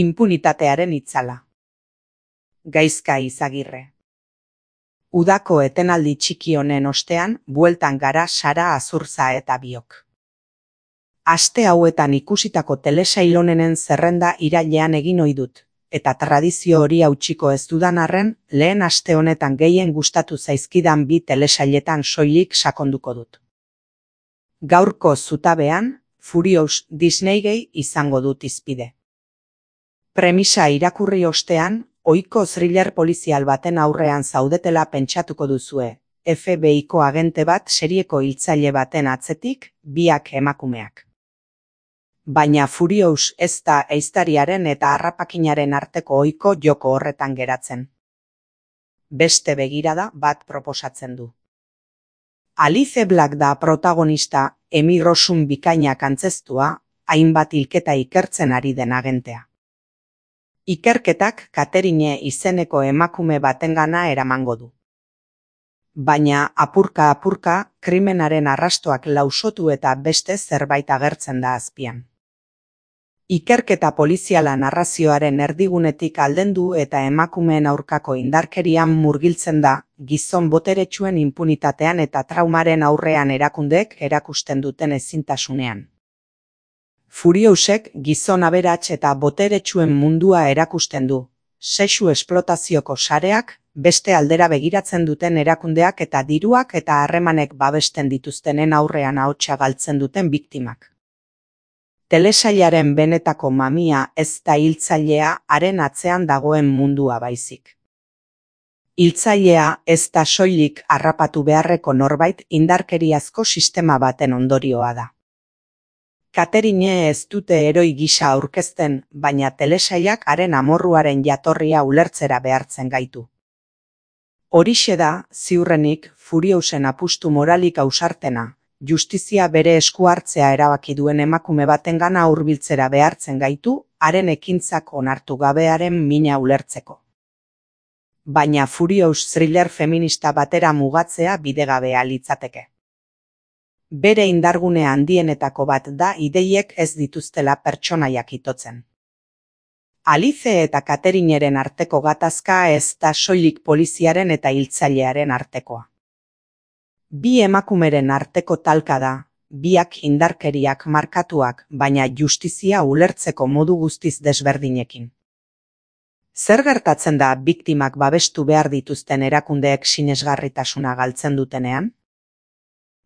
Inpunitatearen itzala. Gaizka Izagirre. Udako etenaldi txiki honen ostean, bueltan gara Sara Azurza eta biok. Aste hauetan ikusitako telesail honenen zerrenda irailean egin ohi dut, eta tradizio hori hautsiko ez dudan arren, lehen aste honetan gehien gustatu zaizkidan bi telesailetan soilik sakonduko dut. Gaurko zutabean, Furious Disneygate izango dut hizpide. Premisa irakurri ostean, ohiko thriller polizial baten aurrean zaudetela pentsatuko duzue, FBI-ko agente bat serieko hiltzaile baten atzetik, biak emakumeak. Baina Furious ez da ehiztariaren eta harrapakinaren arteko ohiko joko horretan geratzen. Beste begirada bat proposatzen du. Alice Black da protagonista, Emmy Rossum bikainak antzeztua, hainbat hilketa ikertzen ari den agentea. Ikerketak Catherine izeneko emakume batengana eramango du. Baina apurka-apurka, krimenaren arrastoak lausotu eta beste zerbait agertzen da azpian. Ikerketa poliziala narrazioaren erdigunetik aldendu eta emakumeen aurkako indarkerian murgiltzen da, gizon boteretsuen inpunitatean eta traumaren aurrean erakundeek erakusten duten ezintasunean. Furiousek gizon aberats eta boteretsuen mundua erakusten du, sexu esplotazioko sareak, beste aldera begiratzen duten erakundeak eta diruak eta harremanek babesten dituztenen aurrean ahotsa galtzen duten biktimak. Telesailaren benetako mamia ez da hiltzailea haren atzean dagoen mundua baizik. Hiltzailea ez da soilik harrapatu beharreko norbait indarkeriazko sistema baten ondorioa da. Catherine ez dute heroi gisa aurkezten, baina telesailak haren amorruaren jatorria ulertzera behartzen gaitu. Horixe da, ziurrenik, Furiousen apustu moralik ausartena, justizia bere esku hartzea erabaki duen emakume batengana hurbiltzera behartzen gaitu, haren ekintzak onartu gabearen mina ulertzeko. Baina Furious thriller feminista batera mugatzea bidegabea litzateke. Bere indargune handienetako bat da ideiek ez dituztela pertsonaiak itotzen. Alice eta Catherineren arteko gatazka ez da soilik poliziaren eta hiltzailearen artekoa. Bi emakumeren arteko talka da, biak indarkeriak markatuak, baina justizia ulertzeko modu guztiz desberdinekin. Zer gertatzen da biktimak babestu behar dituzten erakundeek sinesgarritasuna galtzen dutenean?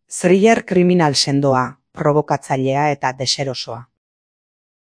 Thriller kriminal sendoa, provokatzailea eta deserosoa.